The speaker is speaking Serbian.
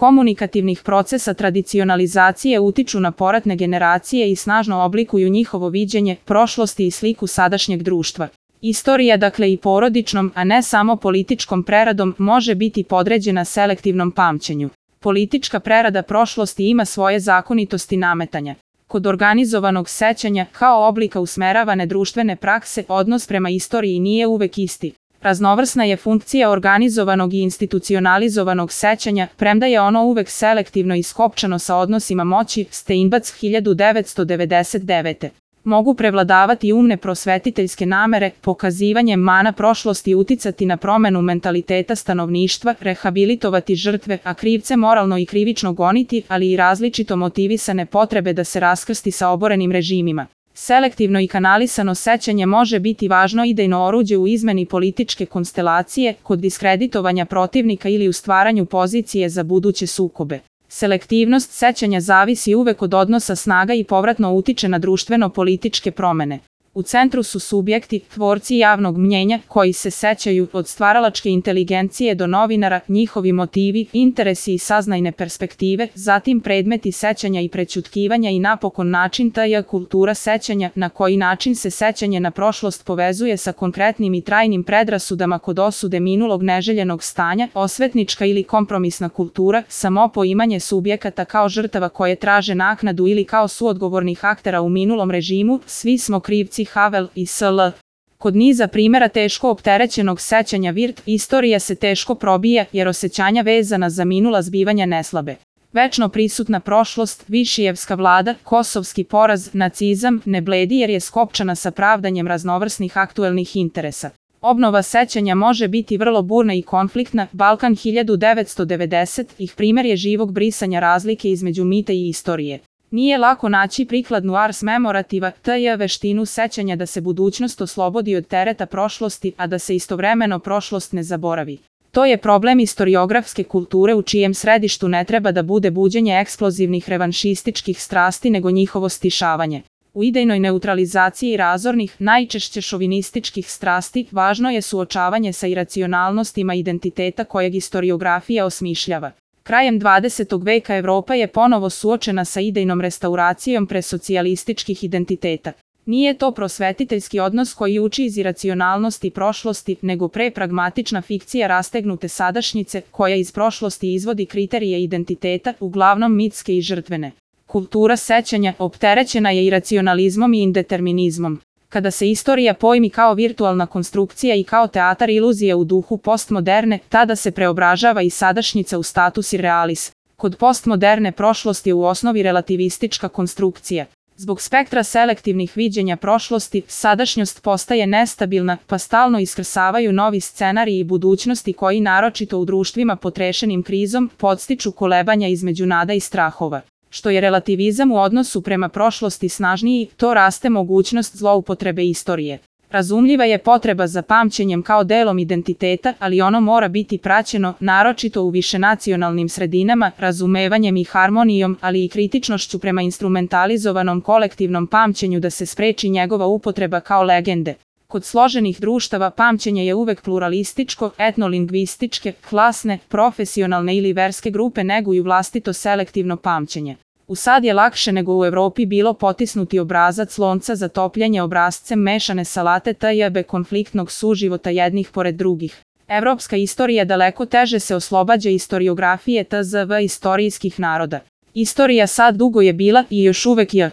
komunikativnih procesa tradicionalizacije utiču na poratne generacije i snažno oblikuju njihovo viđenje prošlosti i sliku sadašnjeg društva. Istorija, dakle i porodičnom, a ne samo političkom preradom, može biti podređena selektivnom pamćenju. Politička prerada prošlosti ima svoje zakonitosti nametanja. Kod organizovanog sećanja, kao oblika usmeravane društvene prakse, odnos prema istoriji nije uvek isti. Raznovrsna je funkcija organizovanog i institucionalizovanog sećanja, premda je ono uvek selektivno i skopčano sa odnosima moći. Steinbac 1999. Mogu prevladavati umne prosvetiteljske namere, pokazivanjem mana prošlosti uticati na promenu mentaliteta stanovništva, rehabilitovati žrtve, a krivce moralno i krivično goniti, ali i različito motivisane potrebe da se raskrsti sa oborenim režimima. Selektivno i kanalisano sećanje može biti važno idejno oruđe u izmeni političke konstelacije, kod diskreditovanja protivnika ili u stvaranju pozicije za buduće sukobe. Selektivnost sećanja zavisi uvek od odnosa snaga i povratno utiče na društveno-političke promene. U centru su subjekti, tvorci javnog mnjenja, koji se sećaju, od stvaralačke inteligencije do novinara, njihovi motivi, interesi i saznajne perspektive, zatim predmeti sećanja i prećutkivanja i napokon način kultura sećanja, na koji način se sećanje na prošlost povezuje sa konkretnim i trajnim predrasudama kod osude minulog neželjenog stanja, osvetnička ili kompromisna kultura, samopoimanje subjekata kao žrtava koje traže naknadu ili kao suodgovornih aktera u minulom režimu, svi smo krivci Havel i sl. Kod niza primjera teško opterećenog sećanja istorija se teško probija jer osjećanja vezana za minula zbivanja neslabe. Večno prisutna prošlost, Višijevska vlada, kosovski poraz, nacizam, ne bledi jer je skopčana sa pravdanjem raznovrsnih aktuelnih interesa. Obnova sećanja može biti vrlo burna i konfliktna. Balkan 1990 primjer je živog brisanja razlike između mita i istorije. Nije lako naći prikladnu ars memorativa, veštinu sećanja da se budućnost oslobodi od tereta prošlosti, a da se istovremeno prošlost ne zaboravi. To je problem istoriografske kulture u čijem središtu ne treba da bude buđenje eksplozivnih revanšističkih strasti nego njihovo stišavanje. U idejnoj neutralizaciji razornih, najčešće šovinističkih strasti, važno je suočavanje sa iracionalnostima identiteta kojeg istoriografija osmišljava. Krajem 20. veka Evropa je ponovo suočena sa idejnom restauracijom presocijalističkih identiteta. Nije to prosvetiteljski odnos koji uči iz iracionalnosti prošlosti, nego prepragmatična fikcija rastegnute sadašnjice, koja iz prošlosti izvodi kriterije identiteta, uglavnom mitske i žrtvene. Kultura sećanja opterećena je iracionalizmom i indeterminizmom. Kada se istorija pojmi kao virtualna konstrukcija i kao teatar iluzije u duhu postmoderne, tada se preobražava i sadašnjica u status irrealis. Kod postmoderne prošlost je u osnovi relativistička konstrukcija. Zbog spektra selektivnih viđenja prošlosti, sadašnjost postaje nestabilna, pa stalno iskrsavaju novi scenariji budućnosti koji naročito u društvima potrešenim krizom podstiču kolebanja između nada i strahova. Što je relativizam u odnosu prema prošlosti snažniji, to raste mogućnost zloupotrebe istorije. Razumljiva je potreba za pamćenjem kao delom identiteta, ali ono mora biti praćeno, naročito u višenacionalnim sredinama, razumevanjem i harmonijom, ali i kritičnošću prema instrumentalizovanom kolektivnom pamćenju da se spreči njegova upotreba kao legende. Kod složenih društava pamćenje je uvek pluralističko, etnolingvističke, klasne, profesionalne ili verske grupe neguju vlastito selektivno pamćenje. U sad je lakše nego u Evropi bilo potisnuti obrazac lonca za topljenje obrascem mešane salate konfliktnog suživota jednih pored drugih. Evropska istorija daleko teže se oslobađa istoriografije istorijskih naroda. Istorija sad dugo je bila i još uvek je